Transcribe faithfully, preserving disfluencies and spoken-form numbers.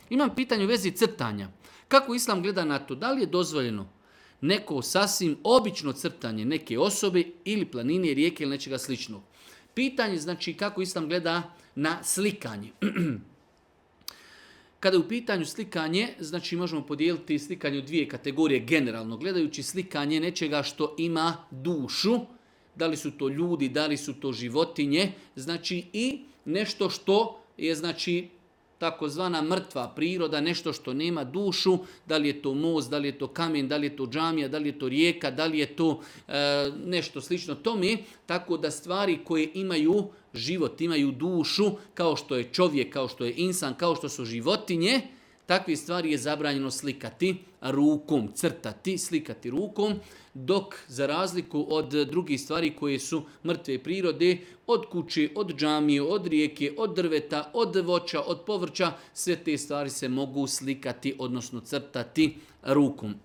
Imam pitanje u vezi crtanja. Kako Islam gleda na to? Da li je dozvoljeno neko sasvim obično crtanje neke osobe ili planine, rijeke ili nečega sličnog? Pitanje znači kako Islam gleda na slikanje. Kada je u pitanju slikanje, znači možemo podijeliti slikanje u dvije kategorije generalno. Gledajući slikanje nečega što ima dušu, da li su to ljudi, da li su to životinje, znači i nešto što je znači takozvana mrtva priroda, nešto što nema dušu, da li je to most, da li je to kamen, da li je to džamija, da li je to rijeka, da li je to e, nešto slično tome, tako da stvari koje imaju život, imaju dušu, kao što je čovjek, kao što je insan, kao što su životinje, takve stvari je zabranjeno slikati rukom, crtati, slikati rukom, dok za razliku od drugih stvari koje su mrtve prirode, od kuće, od džamije, od rijeke, od drveta, od voća, od povrća, sve te stvari se mogu slikati, odnosno crtati rukom.